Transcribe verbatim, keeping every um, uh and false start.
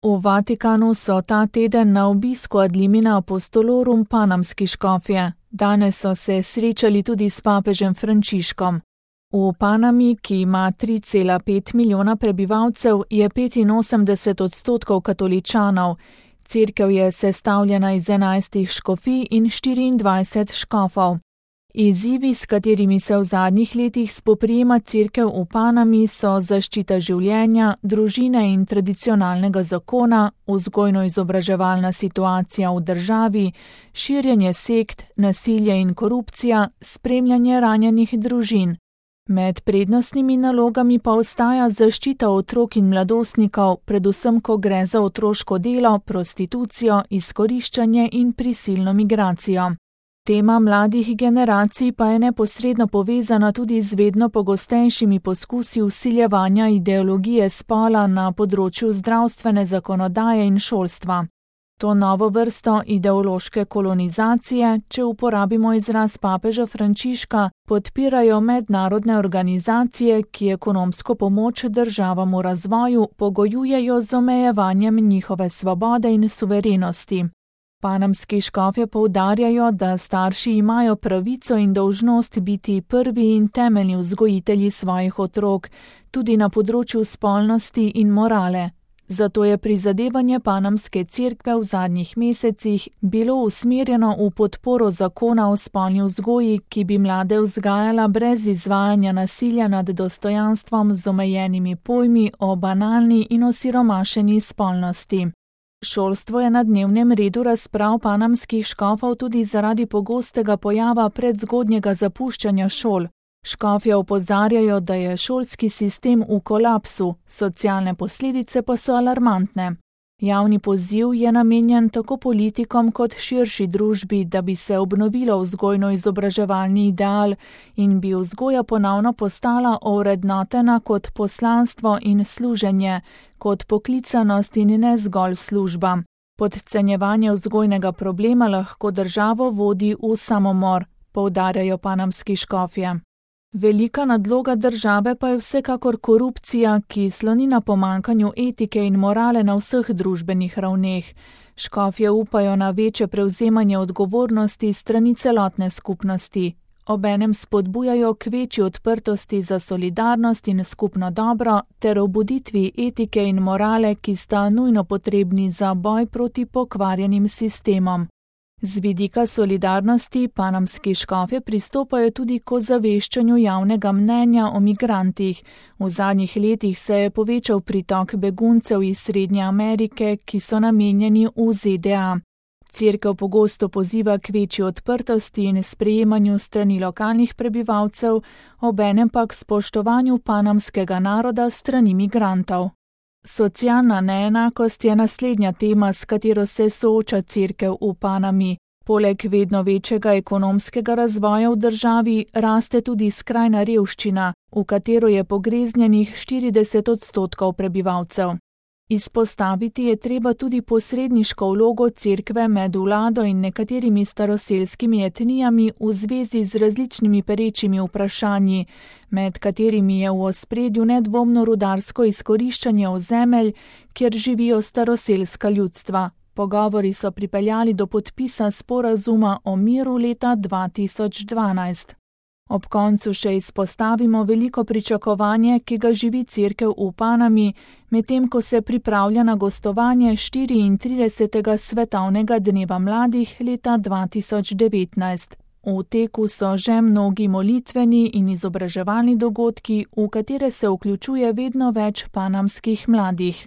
V Vatikanu so ta teden na obisku ad limina apostolorum panamski škofje. Danes so se srečali tudi s papežem Frančiškom. V Panami, ki ima tri cela pet milijona prebivalcev, je petinosemdeset odstotkov katoličanov. Cerkev je sestavljena iz enajstih škofij in štiriindvajset škofov. Izzivi, s katerimi se v zadnjih letih spoprijema cerkev v Panami, so zaščita življenja, družine in tradicionalnega zakona, vzgojno-izobraževalna situacija v državi, širjenje sekt, nasilje in korupcija, spremljanje ranjenih družin. Med prednostnimi nalogami pa ostaja zaščita otrok in mladostnikov, predvsem ko gre za otroško delo, prostitucijo, izkoriščanje in prisilno migracijo. Tema mladih generacij pa je neposredno povezana tudi z vedno pogostejšimi poskusi vsiljevanja ideologije spola na področju zdravstvene zakonodaje in šolstva. To novo vrsto ideološke kolonizacije, če uporabimo izraz papeža Frančiška, podpirajo mednarodne organizacije, ki ekonomsko pomoč državam v razvoju pogojujejo z omejevanjem njihove svobode in suverenosti. Panamski škofje poudarjajo, da starši imajo pravico in dolžnost biti prvi in temeljni vzgojitelji svojih otrok, tudi na področju spolnosti in morale. Zato je prizadevanje Panamske cerkve v zadnjih mesecih bilo usmerjeno v podporo zakona o spolni vzgoji, ki bi mlade vzgajala brez izvajanja nasilja nad dostojanstvom z omejenimi pojmi o banalni in osiromašeni spolnosti. Šolstvo je na dnevnem redu razprav panamskih škofov tudi zaradi pogostega pojava predzgodnjega zapuščanja šol. Škofje opozarjajo, da je šolski sistem v kolapsu, socialne posledice pa so alarmantne. Javni poziv je namenjen tako politikom kot širši družbi, da bi se obnovilo vzgojno-izobraževalni ideal in bi vzgoja ponovno postala ovrednotena kot poslanstvo in služenje, kot poklicanost in ne zgolj služba. Podcenjevanje vzgojnega problema lahko državo vodi v samomor, poudarjajo panamski škofje. Velika nadloga države pa je vsekakor korupcija, ki sloni na pomanjkanju etike in morale na vseh družbenih ravneh. Škofje upajo na večje prevzemanje odgovornosti strani celotne skupnosti. Obenem spodbujajo k večji odprtosti za solidarnost in skupno dobro ter obuditvi etike in morale, ki sta nujno potrebni za boj proti pokvarjenim sistemom. Z vidika solidarnosti panamski škofje pristopajo tudi k ozaveščanju javnega mnenja o migrantih. V zadnjih letih se je povečal pritok beguncev iz Srednje Amerike, ki so namenjeni v Z D A. Cerkev pogosto poziva k večji odprtosti in sprejemanju strani lokalnih prebivalcev, obenem pa k spoštovanju panamskega naroda strani migrantov. Socialna neenakost je naslednja tema, s katero se sooča cerkev v Panami. Poleg vedno večjega ekonomskega razvoja v državi raste tudi skrajna revščina, v katero je pogreznjenih štirideset odstotkov prebivalcev. Izpostaviti je treba tudi posredniško vlogo cerkve med vlado in nekaterimi staroselskimi etnijami v zvezi z različnimi perečimi vprašanji, med katerimi je v ospredju nedvomno rudarsko izkoriščanje ozemelj, kjer živijo staroselska ljudstva. Pogovori so pripeljali do podpisa sporazuma o miru leta dva tisoč dvanajst. Ob koncu še izpostavimo veliko pričakovanje, ki ga živi cerkev v Panami, medtem ko se pripravlja na gostovanje štiriintridesetega svetovnega dneva mladih leta dva tisoč devetnajst. V teku so že mnogi molitveni in izobraževalni dogodki, v katere se vključuje vedno več panamskih mladih.